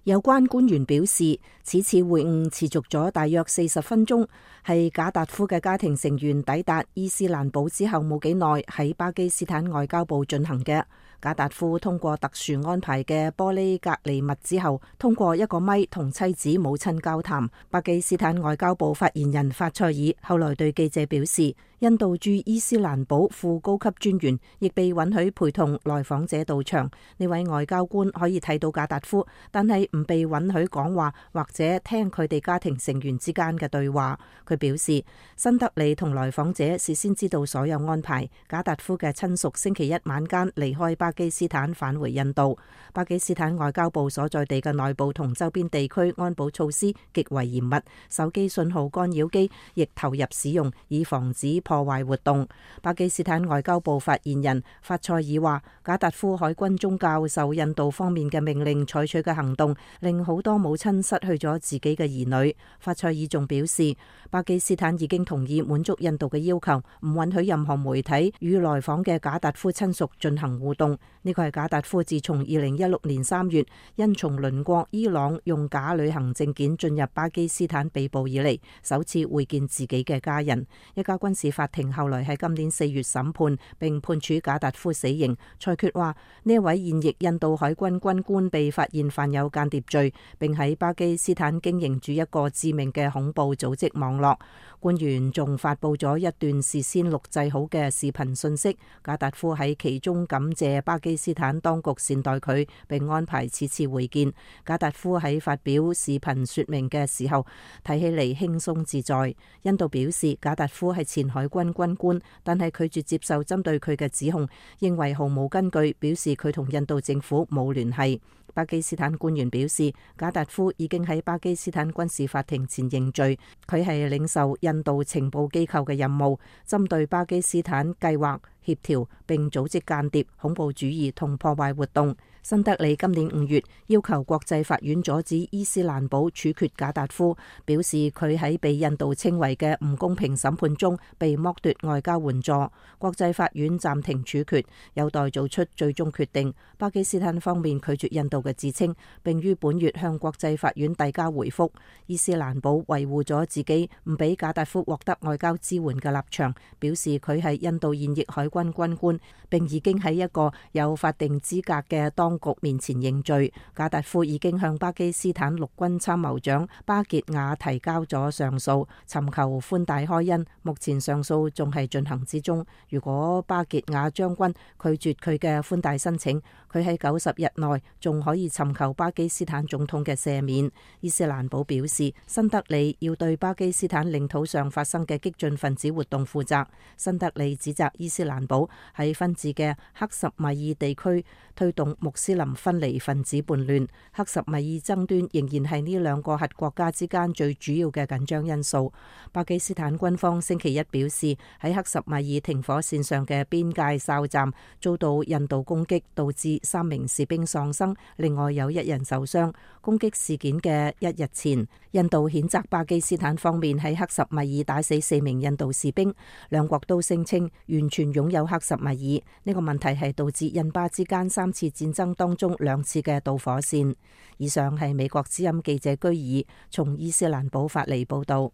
有關官員表示，此次會晤持續咗大約40分鐘，係賈達夫嘅家庭成員抵達伊斯蘭堡之後冇幾耐喺巴基斯坦外交部進行嘅。賈達夫通過特殊安排嘅玻璃隔離物之後，通過一個咪同妻子母親交談。巴基斯坦外交部發言人法塞爾後來對記者表示，印度駐伊斯蘭堡副高級專員亦被允許陪同來訪者到場。呢位外交官可以睇到賈達夫，但係唔被允許講話或者聽佢哋家庭成員之間嘅對話。佢表示，新德里同來訪者事先知道所有安排。賈達夫嘅親屬星期一晚間離開巴基斯坦返回印度。巴基斯坦外交部所在地嘅內部同周邊地區安保措施極為嚴密，手機信號干擾機亦投入使用，以防止破壞活動。巴基斯坦外交部發言人法塞爾話，賈達夫海軍中教受印度方面嘅命令採取嘅行動，令好多母親失去咗自己嘅兒女。法塞爾仲表示，巴基斯坦已經同意滿足印度嘅要求，唔允許任何媒體與來訪嘅賈達夫親屬進行互動。呢個係賈達夫自從2016年3月因從鄰國伊朗用假旅行證件進入巴基斯坦被捕以嚟，首次會見自己嘅家人。一家軍事法庭後來喺今年4月審判並判處賈達夫死刑，裁決話呢一位現役印度海軍軍官被發現犯有間諜罪，並喺巴基斯坦經營住一個致命嘅恐怖組織網絡。官員仲發佈咗一段事先錄製好嘅視頻信息，賈達夫喺其中感謝巴基斯坦當局善待佢，並安排此次會見。賈達夫喺發表視頻說明嘅時候，睇起嚟輕鬆自在。印度表示賈達夫係前海軍軍官，但係拒絕接受針對佢嘅指控，認為毫無根據，表示佢同印度政府冇聯繫。巴基斯坦官員表示，賈達夫已經喺巴基斯坦軍事法庭前認罪，佢係領受印度情報機構嘅任務，針對巴基斯坦計劃、協調並組織間諜、恐怖主義同破壞活動。新德里今年5月要求國際法院阻止伊斯蘭堡處決賈達夫，表示佢喺被印度稱為嘅唔公平審判中被剝奪外交援助。國際法院暫停處決，有待做出最終決定。巴基斯坦方面拒絕印度嘅自稱，並於本月向國際法院遞交回覆。伊斯蘭堡維護咗自己唔俾賈達夫獲得外交支援嘅立場，表示佢係印度現役海軍軍官，並已經喺一個有法定資格嘅當局面前認罪。賈達夫已經向巴基斯坦陸軍參謀長巴傑亞提交咗上訴，尋求寬大開恩。目前上訴仲係進行之中。如果巴傑亞將軍拒絕佢嘅寬大申請，佢喺90日內仲可以尋求巴基斯坦總統嘅赦免。伊斯蘭堡表示，新德里要對巴基斯坦領土上發生嘅激進分子活動負責。新德里指責伊斯蘭堡喺分治嘅克什米爾地區推動穆斯林分離分子叛亂。克什米爾爭端仍然係呢兩個核國家之間最主要嘅緊張因素。巴基斯坦軍方星期一表示，喺克什米爾停火線上嘅邊界哨站遭到印度攻擊，導致3名士兵喪生，另外有1人受傷。攻擊事件嘅1日前，印度譴責巴基斯坦方面喺克什米爾打死4名印度士兵，兩國都聲稱完全擁有克什米爾。呢個問題係導致印巴之間3次戰爭當中2次嘅導火線。以上係美國之音記者居爾從伊斯蘭堡發嚟報道。